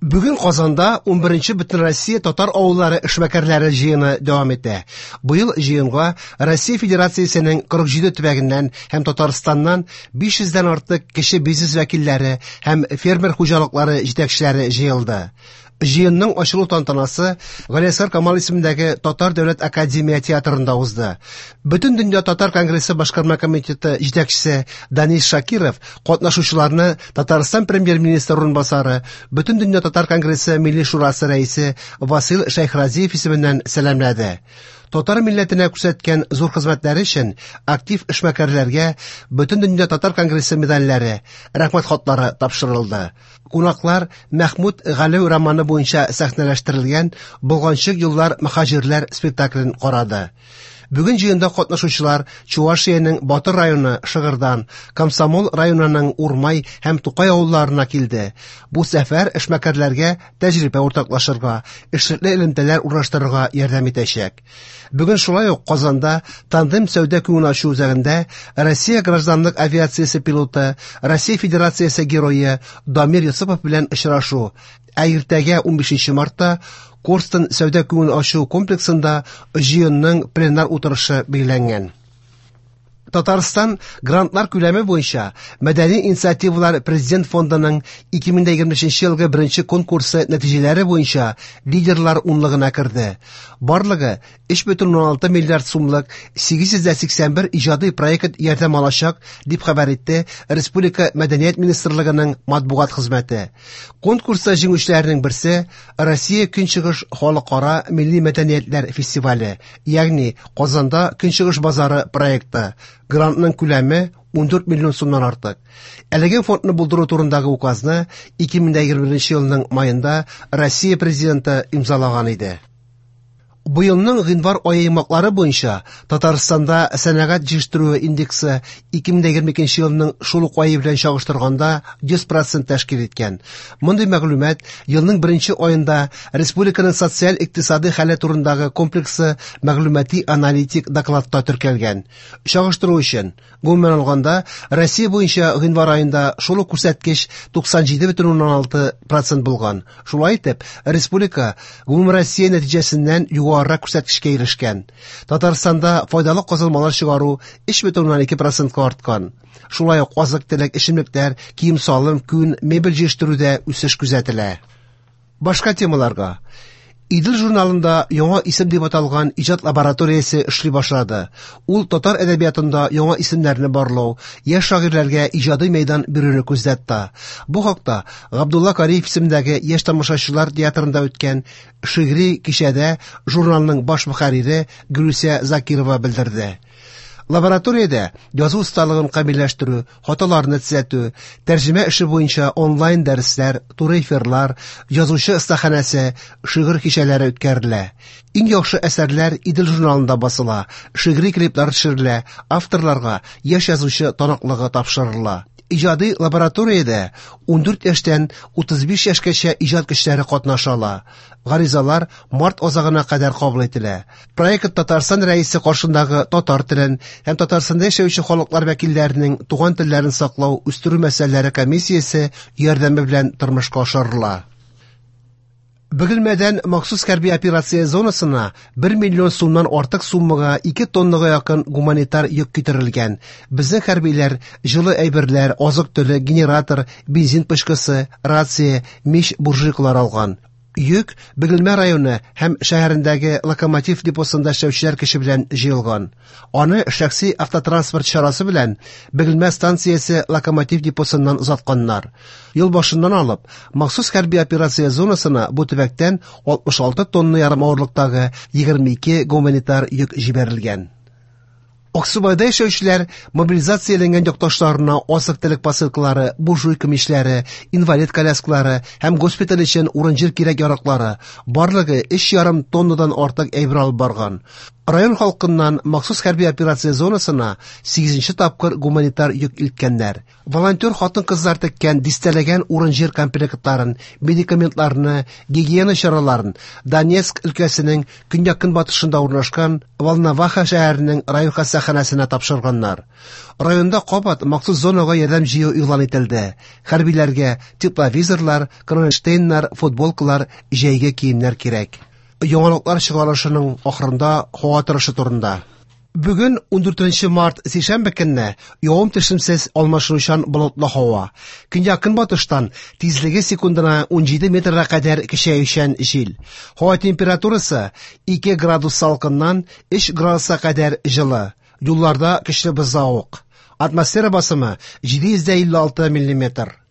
Бүген Казанда 11нче Бөтенроссия татар авыллары эшмәкәрләре җыены дәвам итә. Быел җыенга Россия Федерациясенең 47 төбәгеннән һәм Татарстаннан 500 дән артык кече бизнес вәкилләре һәм фермер хуҗалыклары җитәкчеләре җыелды. Җыенның ачылу тантанасы Галиәсгар Камал исемендәге Татар дәүләт академия театрында узды. Бөтендөнья татар конгрессы башкарма комитеты җитәкчесе Данис Шакиров катнашучыларны Татарстан премьер-министры урынбасары, Бөтендөнья татар конгрессы Милли шурасы рәисе Васил Шәйхразиев исеменнән сәламләде. Татар милләтенә күрсәткән зур хезмәтләре өчен актив эшмәкәрләргә Бөтендөнья татар конгрессы медальләре, рәхмәт хатлары тапшырылды. Кунаклар Мәхмүт Галәү романы буенча сәхнәләштерелгән Болганчык еллар мөһаҗирләр спектаклен карады. Бүген җыенда катнашучылар Чувашиянең Батыр районы Шыгырдан, Комсомол районының Урмай һәм Тукай авылларына килде. Бу сәфәр эшмәкәрләргә тәҗрибә уртаклашырга, эшлекле элемтәләр урнаштырырга ярдәм итәчәк. Бүген шулай ук Казанда Тандем сәүдә күңел ачу үзәгендә Россия гражданлык авиациясе пилоты, Россия Федерациясе герое Дамир Йосыпов белән очрашу, ә иртәгә 15 мартта Корстон сәүдә күңел ачу комплексында җыенның пленар утырышы билгеләнгән. Татарстан грантлар күләме буенча Мәдәни инициативалар Президент фондының 2023 елгы беренче конкурсы нәтиҗәләре буенча лидерлар унлыгына керде. Барлыгы 3,6 миллиард сумлык 881 иҗади проект ярдәм алачак, дип хәбәр итте Республика Мәдәният министрлыгының матбугат хезмәте. Конкурста җиңүчеләрнең берсе Россия Көнчыгыш халыкара милли мәдәниятләр фестивале, ягъни Казанда Көнчыгыш базары проекты. Грантның күләме 14 миллион сумнан артык. Әлеге фондны булдыру турындагы указны 2021 елның маенда Россия президенты имзалаган иде. Быелның гыйнвар ае йомгаклары буенча Татарстанда сәнәгать җитештерүе индексы 2022 елның шул ук ае белән чагыштырганда 100% тәшкил иткән. Мондый мәгълүмат елның беренче аенда республиканың социаль-икътисади хәле турындагы комплексы мәгълүмати аналитик докладта теркәлгән. Чагыштыру өчен, гомумән алганда, Россия буенча гыйнвар аенда шул ук күрсәткеч 97,6% булган. Шулай итеп, республика гомумроссия нәтиҗәсеннән югарырак күрсәткечкә ирешкән. Татарстанда файдалы казылмалар чыгару 3,2%-ка арткан. Шулай ук азык-төлек, эчемлекләр, кием-салым, күн, мебель җитештерүдә үсеш күзәтелә. Башка темаларга. Идел журналында яңа исем дип аталган иҗат лабораториясе эшли башлады. Ул татар әдәбиятында яңа исемнәрне барлау, яшь шагыйрьләргә иҗади мәйдан бирүне күздә тота. Бу хакта Габдулла Кариев исемендәге яшь тамашачылар театрында үткән шигъри кичәдә журналның баш мөхәррире Гөлүсә Закирова белдерде. Лабораториядә язу осталыгын камилләштерү, хаталарны төзәтү, тәрҗемә эше буенча онлайн дәресләр, туры эфирлар, язучы остаханәсе, шигырь кичәләре үткәрелә. Иң яхшы әсәрләр Идел журналында басыла, шигъри клиплар төшерелә, авторларга яшь язучы таныклыгы тапшырыла. Иҗади лабораториядә 14 яшьтән 35 яшькәчә иҗат көчләре катнаша ала. Гаризалар март азагына кадәр кабул ителә. Проект Татарстан Рәисе каршындагы татар телен һәм Татарстанда яшәүче халыклар вәкилләренең туган телләрен саклау, үстерү мәсьәләләре комиссиясе ярдәме белән тормышка ашырыла. Бөгелмәдән махсус хәрби операция зонасына 1 миллион сумнан артык суммага 2 тоннага якын гуманитар йөк китерелгән. Безнең хәрбиләр җылы әйберләр, азык-төлек, генератор, бензин пычкысы, рация, мич, буржуйкалар алган. Йөк Бөгелмә районы һәм шәһәрендәге локомотив депосында эшләүчеләр көче белән җыелган. Аны шәхси автотранспорт чарасы белән Бөгелмә станциясе локомотив депосыннан озатканнар. Ел башыннан алып, махсус хәрби операция зонасына бу төбәктән 66 тонна ярым авырлыктагы 22 гуманитар йөк җибәрелгән. Аксубайда яшәүчеләр мобилизацияләнгән якташларына азык-төлек посылкалары, буржуйка мичләре, инвалид коляскалары һәм госпиталь өчен урын-җир кирәк-яраклары, барлыгы 3,5 тоннадан артык әйбер алып барган. Район халкыннан махсус хәрби операция зонасына 8нче тапкыр гуманитар йөк илткәннәр. Волонтер хатын-кызлар теккән дистәләгән урын-җир комплектларын, медикаментларны, гигиена чараларын Донецк өлкәсенең көньяк-көнбатышында урнашкан Волноваха шәһәренең район хастаханәсенә тапшырганнар. Районда кабат махсус зонага ярдәм җыю игълан ителде. Хәрбиләргә тепловизорлар, кронштейннар, футболкалар, җәйге киемнәр кирәк. Яңалыклар чыгарылышының ахырында һава торышы турында. Бүген 14 март сишәмбе көнне явым-төшемсез алмашынучан болытлы һава. Көньяк-көнбатыштан тизлеге секундына 17 метрга кадәр көчәючән җил. Һава температурасы 2 градус салкыннан 3 градуска кадәр җылы. Юлларда көчле бозлавык. Атмосфера басымы 756 миллиметр.